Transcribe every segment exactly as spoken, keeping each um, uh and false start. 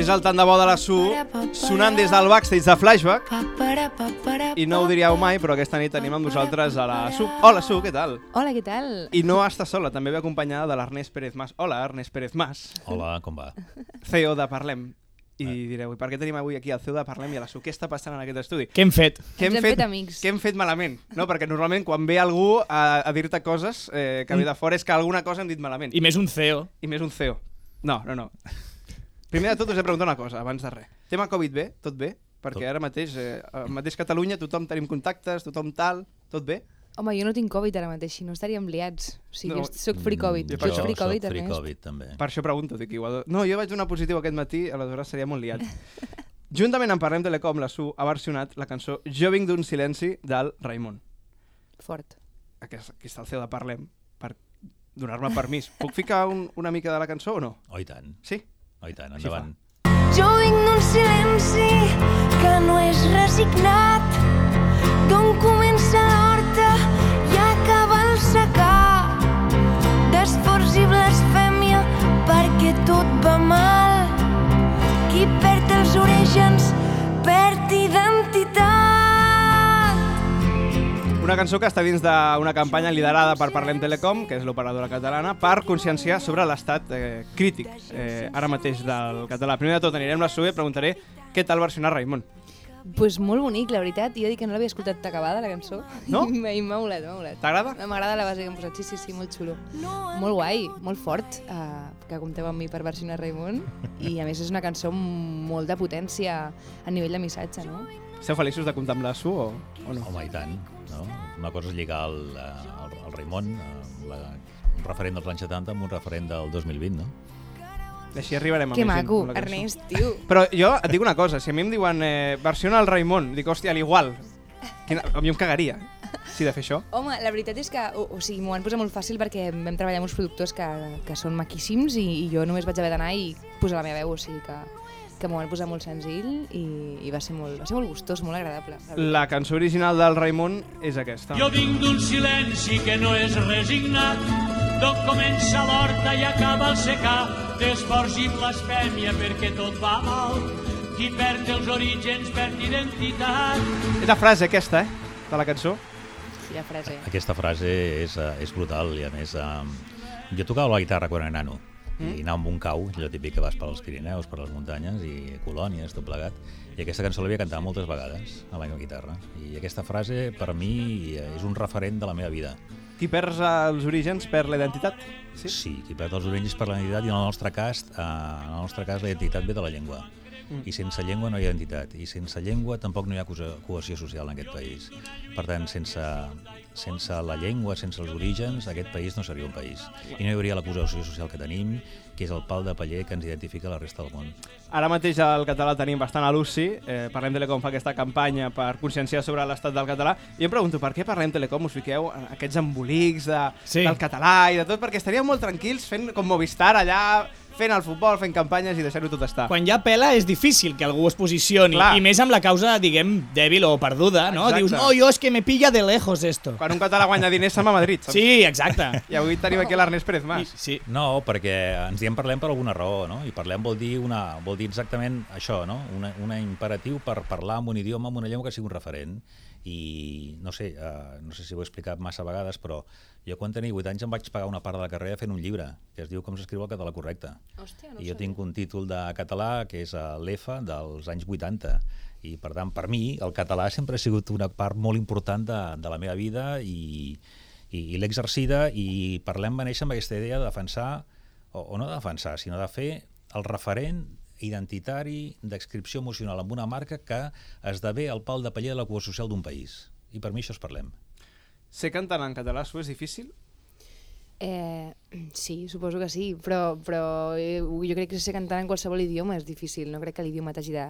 És el tant de bo de la Su, sonant des del backstage de Flashback. I no ho diríeu mai, però aquesta nit tenim amb vosaltres a la Su. Hola, Su, què tal? Hola, què tal? I no està sola, també ve acompanyada de l'Ernest Pérez Mas. Hola, Ernest Pérez Mas. Hola, com va? C E O de Parlem. I direu, i per què tenim avui aquí el C E O de Parlem i a la Su? Què està passant en aquest estudi? Què hem fet? Què hem Ens hem fet, fet amics. què hem fet malament? No, perquè normalment quan ve algú a, a dir-te coses eh, que ve de fora és que alguna cosa hem dit malament. I més un C E O. I més un C E O. No, no, no. Primer de tot us he preguntat una cosa, abans de res. Tema Covid bé? Tot bé? Perquè ara mateix, eh, al mateix Catalunya, tothom tenim contactes, tothom tal, tot bé? Home, jo no tinc Covid ara mateix, si no estaríem liats. O sigui, No. no. soc free Covid. Jo Tu per ets això free soc Covid, free Ernest? Covid, també. Per això pregunto, dic igual. No, jo vaig donar positiu aquest matí, aleshores seria molt liat. Juntament amb Parlem Telecom, la Su ha versionat la cançó Jo vinc d'un silenci del Raimon. Fort. Aquí, aquí està el C E O de Parlem, per donar-me permís. Puc ficar un, una mica de la cançó o no? Oh, i tant. Sí? Oh, i tant, Així endavant. Jo vinc d'un silenci que no és resignat, d'on comença l'horta i acaba el secà, d'esforç i blasfèmia perquè tot va mal. Qui perd els orígens perd identitat. Una cançó que està dins d'una campanya liderada per Parlem Telecom, que és l'operadora catalana, per conscienciar sobre l'estat eh, crític eh, ara mateix del català. Primer de tot anirem a la Su i preguntaré què tal versionar Raimon. Pues molt bonic, la veritat. Jo dic que no l'havia escoltat acabada, la cançó. No? I m'ha molat, m'ha molat. T'agrada? M'agrada la base que hem posat, sí, sí, sí, molt xulo. Molt guai, molt fort, uh, que compteu amb mi per versionar Raimon. I a més és una cançó amb molt de potència a nivell de missatge, no? Esteu feliços de comptar amb la Su o, o no? Home, i tant. No? Una cosa és lligar el, el, el Raimon, la, un referent dels anys setanta amb un referent del dos mil vint, no? Així arribarem a Que més gent maco, amb la cançó. Ernest, tio. Però jo et dic una cosa, si a mi em diuen eh, versiona el Raimon, dic, hòstia, a l'igual. Quina... A mi em cagaria, si de fer això. Home, la veritat és que, o, o sigui, m'ho van posar molt fàcil perquè vam treballar amb uns productors que, que són maquíssims i, i jo només vaig haver d'anar i posar la meva veu, o sigui que, que m'ho van posar molt senzill i, i va ser molt, va ser molt gustós, molt agradable. La cançó original del Raimon és aquesta. Jo vinc d'un silenci que no és resignat, d'on comença l'horta i acaba el secà, d'esforç i blasfèmia perquè tot va mal, qui perd els orígens perd identitat. És la frase aquesta, eh, de la cançó. Quina frase. Aquesta frase és, uh, és brutal i a més uh, jo tocava la guitarra quan era nano mm. i anava amb un cau, allò típic que vas per als Pirineus, per les muntanyes i colònies, tot plegat, i aquesta cançó l'havia cantat moltes vegades a la meva guitarra i aquesta frase per mi és un referent de la meva vida. Qui perd els orígens perd la identitat. Sí? Sí, qui perd els orígens per la identitat i en el nostre cas, uh, en el nostre cas la identitat ve de la llengua. Mm. I sense llengua no hi ha identitat, i sense llengua tampoc no hi ha cohesió social en aquest país. Per tant, sense, sense la llengua, sense els orígens, aquest país no seria un país. I no hi hauria la cohesió social que tenim, que és el pal de paller que ens identifica a la resta del món. Ara mateix el català tenim bastant a l'U C I, eh, Parlem Telecom fa aquesta campanya per conscienciar sobre l'estat del català, i em pregunto per què Parlem Telecom us fiqueu en aquests embolics de, Sí. del català i de tot, perquè estaríeu molt tranquils fent com Movistar allà, fent el futbol, fent campanyes i deixar-ho tot estar. Quan hi ha pela és difícil que algú es posicioni, Clar. i més amb la causa, diguem, dèbil o perduda, no? Exacte. Dius, no, jo és que me pilla de lejos esto. Quan un català guanya diners se'n va a Madrid, saps? Sí, exacte. I avui tenim aquí l'Ernest Pérez I, Mas. sí. No, perquè ens diem parlem per alguna raó, no? I parlem vol dir, una, vol dir exactament això, no? Una, una imperatiu per parlar amb un idioma, amb una llengua que sigui un referent. I no sé, uh, no sé si ho he explicat massa vegades, però jo quan tenia vuit anys em vaig pagar una part de la carrera fent un llibre que es diu Com s'escriu el català correcte. Hòstia, no I jo sabia. tinc un títol de català que és l'E F A dels anys vuitanta. I per tant, per mi, el català sempre ha sigut una part molt important de, de la meva vida i, i, i l'he exercida, i Parlem va néixer amb aquesta idea de defensar, o, o no de defensar, sinó de fer el referent identitari d'adscripció emocional amb una marca que esdevé el pal de paller de la cohesió social d'un país. I per mi això és Parlem. Ser cantant en català, Su, és difícil? Eh, sí, suposo que sí, però, però eh, jo crec que ser cantant en qualsevol idioma és difícil, no crec que l'idioma t'hagi de-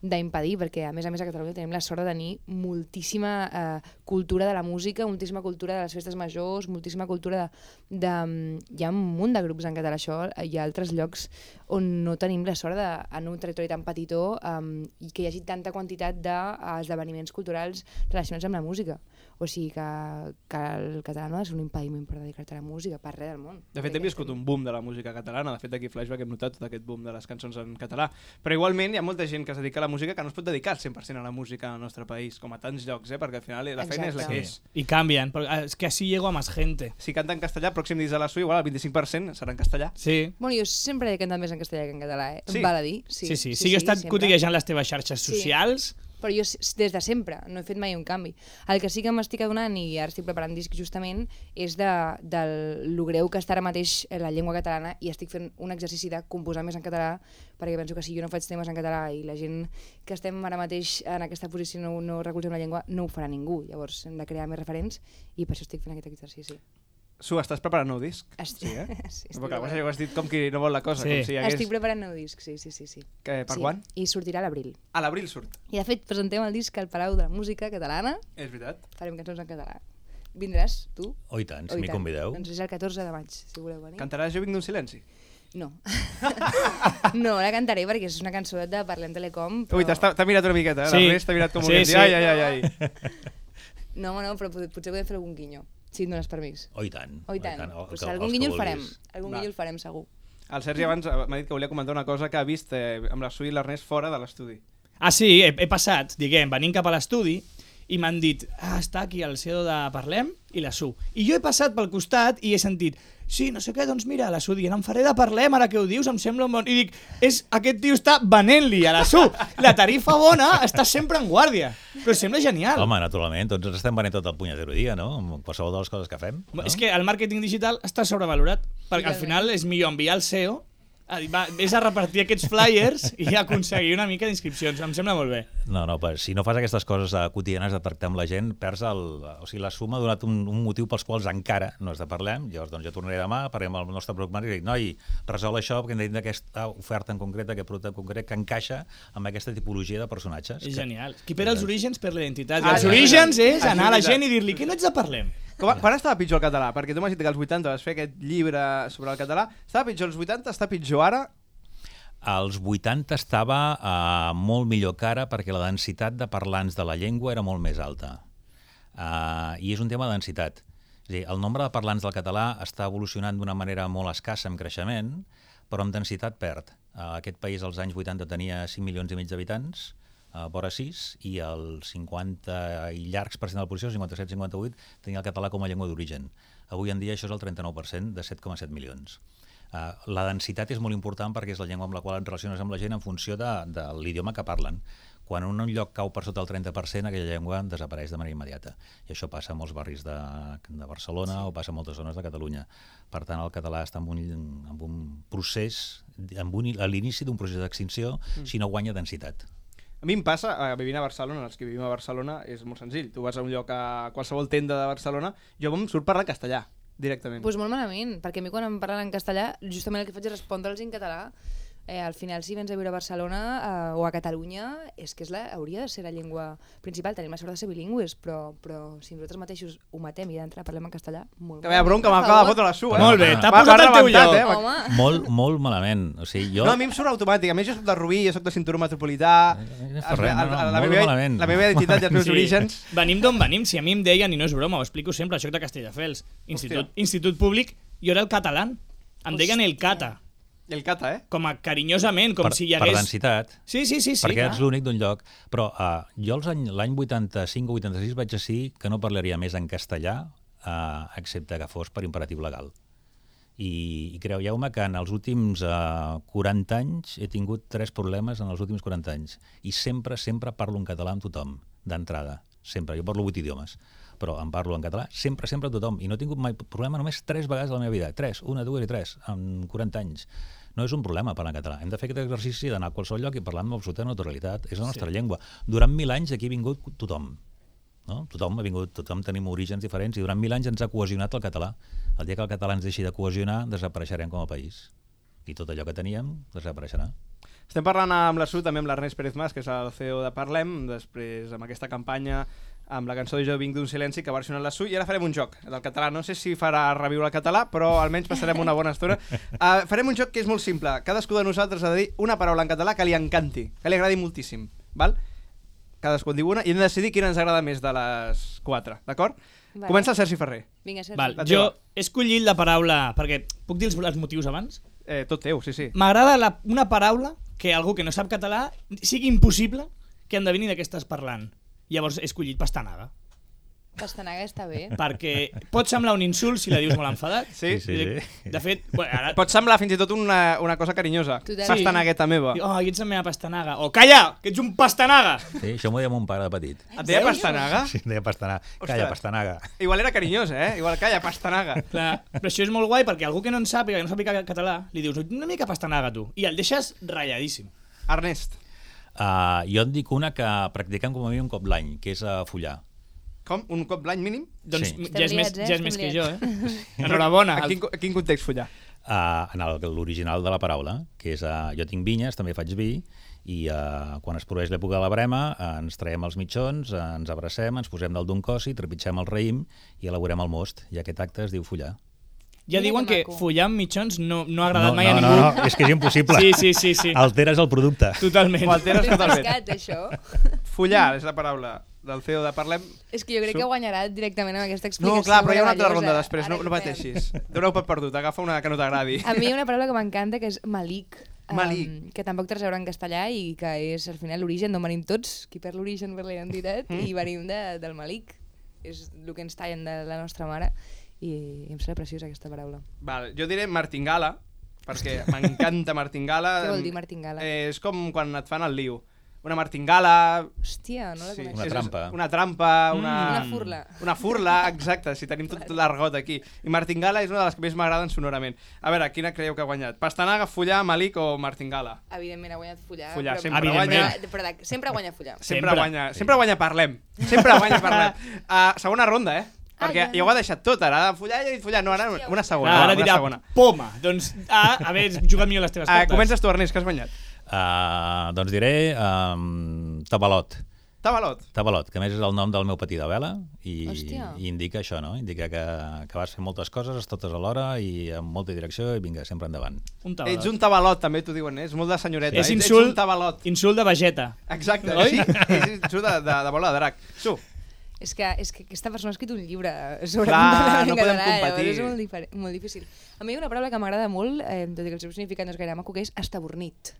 d'impedir, perquè a més a més a Catalunya tenim la sort de tenir moltíssima eh, cultura de la música, moltíssima cultura de les festes majors, moltíssima cultura de, de... Hi ha un munt de grups en català, això, hi ha altres llocs on no tenim la sort de, en un territori tan petitó, um, i que hi hagi tanta quantitat d'esdeveniments culturals relacionats amb la música. O sigui que, que el català no és un impediment per dedicar-te a la música, per res del món. De fet, hem viscut un boom de la música catalana. De fet, aquí a Flashback hem notat tot aquest boom de les cançons en català. Però igualment hi ha molta gent que es dedica a la música que no es pot dedicar al cent per cent a la música al nostre país, com a tants llocs, eh? Perquè al final la feina és la que és. Y cambian, porque es que así llego a más gente. Si canta en castellà, pròxim disc de la S U, igual el vint-i-cinc per cent serà en castellà. Sí. Bueno, jo sempre he cantat més en castellà que en català, eh? Sí. Em val a dir. Sí, sí. sí, sí, sí jo he estat cotillejant les teves xarxes Sí. socials. Però jo s- des de sempre no he fet mai un canvi. El que sí que m'estic adonant, i ara estic preparant disc justament, és de, del lo greu que està ara mateix la llengua catalana, i estic fent un exercici de composar més en català, perquè penso que si jo no faig temes en català i la gent que estem ara mateix en aquesta posició no, no recolzem la llengua, no ho farà ningú. Llavors hem de crear més referents i per això estic fent aquest exercici. Su, estàs preparant nou disc? Estic, Sí, eh? sí, estic, Perquè preparant. ho has dit com qui no vol la cosa, Sí. com si hi hagués... estic preparant nou disc, sí, sí, sí. sí. Que, per sí. quan? I sortirà a l'abril. A l'abril surt. I de fet presentem el disc al Palau de la Música Catalana. És veritat. Farem cançons en català. Vindràs, tu? Oh, i tant, Oh, si i m'hi tant. convideu. Doncs és el catorze de maig, si voleu venir. Cantaràs Jo vinc d'un silenci? No. no, la cantaré perquè és una cançó de Parlem Telecom. Però... Ui, t'has- t'ha mirat una miqueta, eh? Sí. L'Ernest t'ha mirat com Sí, volent dir, sí. ai, ai, ai, ai. No, no, però pot- potser podem fer algun guinyo, si em dones permís. Oh, i tant. Oh, i tant. el Pues que- algun els que guinyo el farem. vulguis. Algun Va. guinyo el farem, segur. El Sergi abans eh, m'ha dit que volia comentar una cosa que ha vist eh, amb la Su i l'Ernest fora de l'estudi. Ah, sí, he, he passat, diguem, venint cap a l'estudi i m'han dit, ah, està aquí el C E O de Parlem i la S U. I jo he passat pel costat i he sentit, sí, no sé què, doncs mira, la S U dient, em faré de Parlem, ara que ho dius, em sembla un bon... I dic, és, aquest tio està venent-li a la S U. La tarifa bona està sempre en guàrdia. Però sembla genial. Home, naturalment, tots ens estem venent tot el punyetero dia, no? Amb qualsevol de les coses que fem. No? És que el màrqueting digital està sobrevalorat, perquè al Totalment. final és millor enviar el C E O a dir, va, vés a repartir aquests flyers i aconseguir una mica d'inscripcions. Em sembla molt bé. No, no, però si no fas aquestes coses uh, quotidianes de tractar amb la gent, perds el... O sigui, la suma ha donat un, un motiu pels quals encara no es de parlem. Llavors, doncs, jo tornaré demà, parlem amb el nostre product manager i dic, noi, resol això perquè hem de dir aquesta oferta en concret, aquest producte en concret, que encaixa amb aquesta tipologia de personatges. És que... genial. Qui per els orígens per la identitat. I Ah, els sí, orígens sí. és Ah, sí, anar a la veritat. gent i dir-li que no ets de Parlem. Com, quan estava pitjor el català? Perquè tu m'has dit que als vuitanta vas fer aquest llibre sobre el català. Estava pitjor als vuitanta, està pitjor ara? Als vuitanta estava uh, molt millor que ara perquè la densitat de parlants de la llengua era molt més alta. Uh, I és un tema de densitat. És a dir, el nombre de parlants del català està evolucionant d'una manera molt escassa en creixement, però amb densitat perd. Uh, aquest país als anys vuitanta tenia cinc milions i mig d'habitants, uh, vora sis, i el cinquanta i llargs per cent de la població, cinquanta-set cinquanta-vuit, tenia el català com a llengua d'origen. Avui en dia això és el trenta-nou per cent de set coma set milions. Uh, la densitat és molt important perquè és la llengua amb la qual et relaciones amb la gent en funció de, de l'idioma que parlen. Quan un lloc cau per sota el trenta per cent, aquella llengua desapareix de manera immediata. I això passa a molts barris de, de Barcelona sí. o passa a moltes zones de Catalunya. Per tant, el català està en un, en un procés, en un, a l'inici d'un procés d'extinció, mm. si no guanya densitat. A mi em passa, eh, vivint a Barcelona, els que vivim a Barcelona, és molt senzill. Tu vas a un lloc, a qualsevol tenda de Barcelona, jo em surt parlar castellà, directament. Doncs pues molt malament, perquè a mi quan em parlen en castellà, justament el que faig és respondre'ls en català. Eh, al final, si vens a viure a Barcelona eh, o a Catalunya, és que és la, hauria de ser la llengua principal. Tenim la sort de ser bilingües, però, però si nosaltres mateixos ho matem i d'entrar parlem en castellà, molt Que veia bronca, m'acaba de fotre la Su, eh? Molt bé, t'ha Va- posat va al teu rebentat, lloc. eh? Home, Molt, molt malament. O sigui, jo... No, a mi em surt automàtic. A més, jo soc de Rubí, jo soc de cinturó metropolità. Eh, Els- res, no, el- no, la, molt meva, malament. la meva identitat i els meus orígens. Venim d'on venim, si a mi em deien, i no és broma, ho explico sempre, això de Castelldefels, institut, institut públic, jo era el català, em deien el cata, I el cata, eh? com a carinyosament, com per, si hi per hagués... densitat. Sí, sí, sí, sí. perquè clar. ets l'únic d'un lloc. Però uh, jo els any, l'any vuitanta-cinc o vuitanta-sis vaig decidir que no parlaria més en castellà, uh, excepte que fos per imperatiu legal. I, i creieu-me que en els últims uh, quaranta anys he tingut tres problemes en els últims quaranta anys. I sempre, sempre parlo en català amb tothom, d'entrada. Sempre. Jo parlo vuit idiomes, però em parlo en català sempre, sempre amb tothom. I no he tingut mai problema només tres vegades a la meva vida. Tres, una, dues i tres, en quaranta anys. No és un problema parlar en català. Hem de fer aquest exercici d'anar a qualsevol lloc i parlar amb absoluta naturalitat. És la nostra sí. llengua. Durant mil anys aquí ha vingut tothom. No? Tothom ha vingut, tothom tenim orígens diferents i durant mil anys ens ha cohesionat el català. El dia que el català ens deixi de cohesionar, desapareixerem com a país. I tot allò que teníem desapareixerà. Estem parlant amb la Su, també amb l'Ernest Pérez Mas, que és el C E O de Parlem, després amb aquesta campanya amb la cançó de Jo vinc d'un silenci que ha versionat la Su, i ara farem un joc del català. No sé si farà reviure el català, però almenys passarem una bona estona. Uh, farem un joc que és molt simple. Cadascú de nosaltres ha de dir una paraula en català que li encanti, que li agradi moltíssim. Val? cadascú en diu una, i hem de decidir quina ens agrada més de les quatre, d'acord? Vale. Comença el Sergi Ferrer. Vinga, Sergi. Val, La jo teva. he escollit la paraula... Perquè puc dir els, els motius abans? Eh, tot teu, sí, sí. M'agrada la- una paraula que algú que no sap català sigui impossible que endevini de què estàs parlant. Llavors he escollit pastanaga. Pastanaga està bé. Perquè pot semblar un insult si la dius molt enfadat. Sí? Sí, sí. De fet, bueno, ara... Pot semblar fins i tot una, una cosa carinyosa. Total. Pastanagueta meva. Oh, i ets la meva pastanaga. O calla, que ets un pastanaga. Sí, això m'ho deia mon pare de petit. Et deia pastanaga? Sí, em deia pastanaga. Calla, pastanaga. Igual era carinyosa, eh? Igual, calla, pastanaga. Clar, però això és molt guai perquè algú que no en sàpiga, que no sàpiga català, li dius una mica pastanaga tu, i el deixes ratlladíssim. Ernest, Uh, jo et dic una que practiquem com a mínim un cop l'any, que és uh, follar. com? Un cop l'any mínim? Doncs Sí. ja és més, Estem liats, eh? ja és Estem més que liats. jo, eh? Enhorabona. A quin, a quin context follar? Uh, en el- l'original de la paraula, que és uh, jo tinc vinyes, també faig vi, i uh, quan es produeix l'època de la brema uh, ens traiem els mitjons, uh, ens abracem, ens posem dalt d'un cossi, trepitgem el raïm i elaborem el most, i aquest acte es diu follar. Ja Mira diuen que que maco. follar amb mitjons no, no ha agradat no, mai no, a no, ningú. no, és que és impossible. Sí, sí, sí, sí. Alteres el producte. Totalment. Ho alteres Ben totalment. pescat, això. Follar és la paraula del C E O de Parlem. És que jo crec Su- que guanyarà directament amb aquesta No, explicació. clar, però hi ha una altra meravellosa. ronda després, no, Ara no hi fem. pateixis. Doneu per perdut, agafa una que no t'agradi. A mi hi ha una paraula que m'encanta, que és malic. Malic. Um, que tampoc té res a veure en castellà i que és al final l'origen d'on venim tots, qui perd l'origen per la identitat, Mm. i venim de, del malic. És el que ens tallen de la nostra mare i em sembla preciosa aquesta paraula. Val, jo diré martingala, perquè m'encanta martingala. Què vol dir martingala? Eh, és com quan et fan el liu. Una martingala... Hòstia, no la Sí, conec. Una és- és trampa. Una trampa, una... Una furla. Una furla, exacte, si tenim tot l'argot aquí. I martingala és una de les que més m'agraden sonorament. A veure, quina creieu que ha guanyat? Pastanaga, follar, malic o martingala? Evidentment ha guanyat follar. Follar, però, sempre Evidentment. guanya. Però, de- sempre guanya follar. Sempre, Sempre. guanya, sempre guanya Parlem. Sempre guanya Parlem. Uh, segona ronda, eh? Perquè Ah, ja. ja ho ha deixat tot, ara follar i follar. No, ara una segona. Clar, ara una dirà segona. poma. Doncs, ah, haver jugat millor les teves Uh, cartes. comences tu, Ernest, que has guanyat. Uh, doncs diré um, tabalot. Tabalot. Tabalot, que a més és el nom del meu patí de vela i, Hòstia. i indica això, no? Indica que, que vas fer moltes coses totes alhora i amb molta direcció i vinga, sempre endavant. Un tabalot. Ets un tabalot, també t'ho diuen, eh? És molt de senyoreta. És Ets- insult, Ets un tabalot. insult de vegeta. Exacte, Oi? sí. És insult de, de, de bola de drac. Su. És que, és que aquesta persona ha escrit un llibre sobre Clar, Montalegre en no podem català, competir. llavors és molt, diferent, molt difícil. A mi hi ha una paraula que m'agrada molt, eh, tot i que el seu significat no és gaire maco, que és estabornit.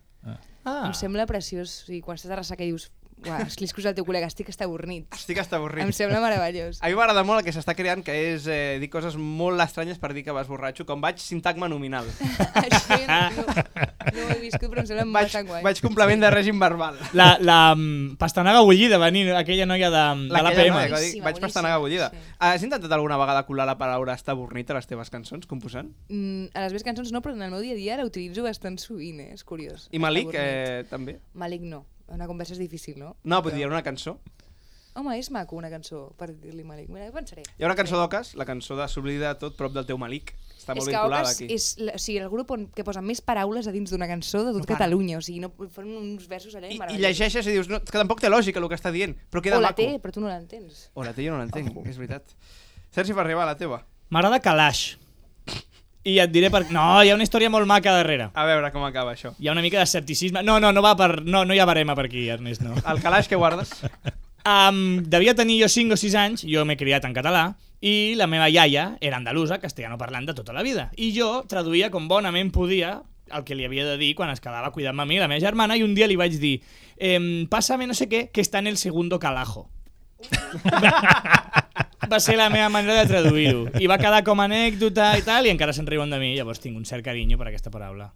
Ah. Em sembla preciós. O sigui, quan estàs de ressaca i dius, uah, escliscos al teu col·lega, estic estabornit. Estic hasta avorrit. Em sembla meravellós. A mi m'agrada molt el que s'està creant, que és eh, dir coses molt estranyes per dir que vas borratxo, com vaig sintagma nominal. Això jo no, no, no ho he viscut, però em sembla Vaig, bastant guai. vaig complement de règim verbal. La, la mm, pastanaga bullida, venir aquella noia de, de l'A P M. noia que va dir, Boníssima, vaig pastanaga bullida. boníssima, sí. Has intentat alguna vegada colar la paraula estabornit a les teves cançons, composant? Mm, a les meves cançons no, però en el meu dia a dia la utilitzo bastant sovint, eh? És curiós. I Malic, Estabornit. eh, també? Malic no. Una conversa és difícil, no? No, vull Però- dir, una cançó. Home, és maco una cançó per dir-li Malic. Mira, ho pensaré. Hi ha una cançó d'Ocas, la cançó de S'oblida tot prop del teu Malic. Està molt és que vinculada Ocas aquí. és la, o sigui, el grup on, que posa més paraules a dins d'una cançó de tot No para. Catalunya. O sigui, no, fan uns versos allà I, I meravellosos. llegeixes i dius, no, que tampoc té lògica el que està dient, però queda O la maco. té, però tu no l'entens. O la té, jo no l'entenc, és veritat. Sergi Ferrer, va, la teva. M'agrada Kalash. I et diré per... No, hi ha una història molt maca darrere. A veure com acaba això. Hi ha una mica d'escepticisme. No, no, no va per... No, no hi ha barema per aquí, Ernest, no. El calaix que guardes? Um, devia tenir jo cinc o sis anys, jo m'he criat en català, i la meva iaia era andalusa, castellano parlant de tota la vida. I jo traduïa com bonament podia el que li havia de dir quan es quedava cuidant-me a mi, la meva germana, i un dia li vaig dir ehm, pásame no sé què, que està en el segundo calajo. Va ser la meva manera de traduir-ho. I va quedar com a anècdota i tal, i encara se'n riuen de mi, llavors tinc un cert carinyo per aquesta paraula.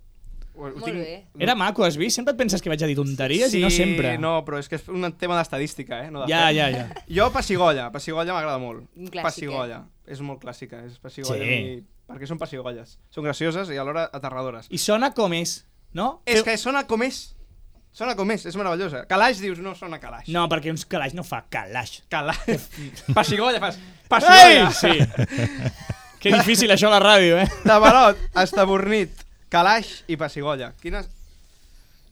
Ho, ho Molt bé. Era maco, has vist? Sempre et penses que vaig a dir tonteries sí, i no sempre. no, però és que és un tema d'estadística, eh? No de Ja, fe. ja, ja. Jo, Passigolla. Passigolla m'agrada molt. Un clàssic, Passigolla. És molt clàssica, és Passigolla. Sí. I... Perquè són pessigolles. Són gracioses i alhora aterradores. I sona com és, no? És que sona com és. Sona com és, és meravellosa. Calaix dius, no sona calaix. No, perquè un calaix no fa calaix. Calaix. Passigolla, fas. Passigolla. Ei! Sí. Que difícil això a la ràdio, eh? Tabalot, estabornit, calaix i passigolla. Quines...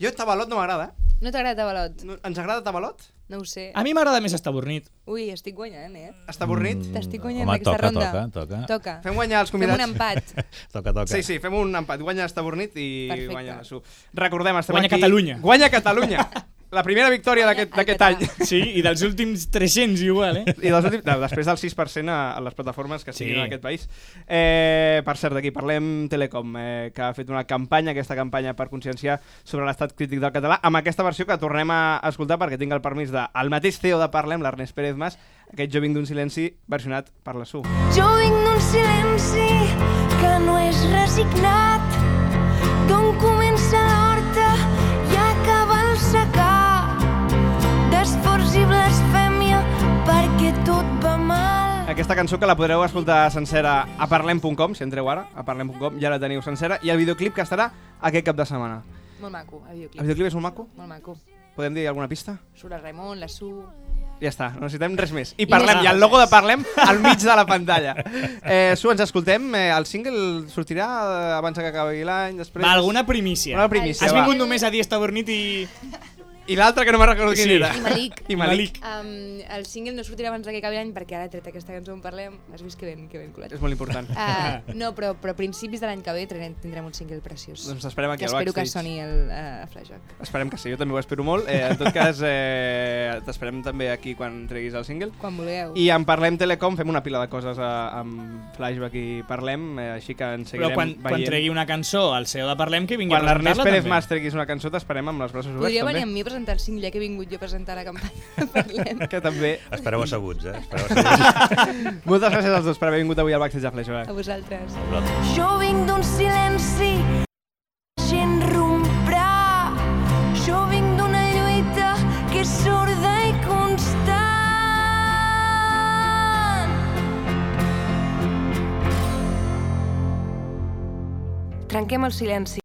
Jo Tabalot no m'agrada, eh? No t'agrada Tabalot? No, ens agrada Tabalot? No ho sé. A mi m'agrada més estabornit. Ui, estic guanyant, eh? Estabornit? T'estic guanyant Home, aquesta toca, ronda. toca, toca. Toca. Fem guanyar els Fem convidats. un empat. Toca, toca. Sí, sí, fem un empat. Guanya Estabornit i Perfecte. guanya la Su. Recordem, estem Guanya aquí... Catalunya. Guanya Catalunya. la primera victòria d'aquest d'aquest any. Sí, i dels últims tres-cents igual, eh? I dels últims, no, després del sis per cent a, a les plataformes que siguin Sí. en aquest país. Eh, per cert, d'aquí parlem Telecom, eh, que ha fet una campanya, aquesta campanya per conscienciar sobre l'estat crític del català, amb aquesta versió que tornem a escoltar perquè tinc el permís del mateix C E O de Parlem, l'Ernest Pérez Mas, aquest Jo vinc d'un silenci versionat per la Su. Jo vinc d'un silenci que no és resignat, d'on comença l'horta i acaba el secà, d'esforç i blasfèmia perquè tot va mal. Aquesta cançó que la podreu escoltar sencera a parlem punt com, si entreu ara, a parlem punt com, ja la teniu sencera, i el videoclip que estarà aquest cap de setmana. Molt maco, el videoclip. El videoclip és molt maco? Molt maco. Podem dir alguna pista? Surt el Raimon, la Su... Ja està, no necessitem res més. I I parlem, més i el logo de Parlem al mig de la pantalla. Eh, Su, ens escoltem. Eh, el single sortirà eh, abans que acabi l'any, després... Va, alguna primícia. Una primícia, Has va. vingut només a dir esta bornit i... I l'altre que no me'n recordo quin Sí. era. I Malik. I Malik. Um, el single no sortirà abans que acabi l'any perquè ara he tret aquesta cançó on parlem. Has vist que ben, que ben colat. És molt important. Uh, no, però, però a principis de l'any que ve tindrem, tindrem un single preciós. Doncs esperem aquí que al espero que backstage. soni el uh, Flashback. Esperem que sí, jo també ho espero molt. Eh, en tot cas, eh, t'esperem també aquí quan treguis el single. Quan vulgueu. I en Parlem Telecom fem una pila de coses a, amb Flashback i Parlem, eh, així que en seguirem Però quan, veient. quan tregui una cançó al C E O de Parlem, que vingui Quan a l'Ernest presentar-la Pérez també. Mas treguis una cançó, t'esperem amb els braços oberts Podria venir també. amb mi a presentar el single, ja que he vingut jo a presentar la campanya. Parlem. Que també. Espereu asseguts, eh? Espereu asseguts. Moltes gràcies als dos per haver vingut avui al backstage de Flashback. A vosaltres. Jo vinc d'un silenci, la gent romprà. Jo vinc d'una lluita que és sorda i constant. Trenquem el silenci.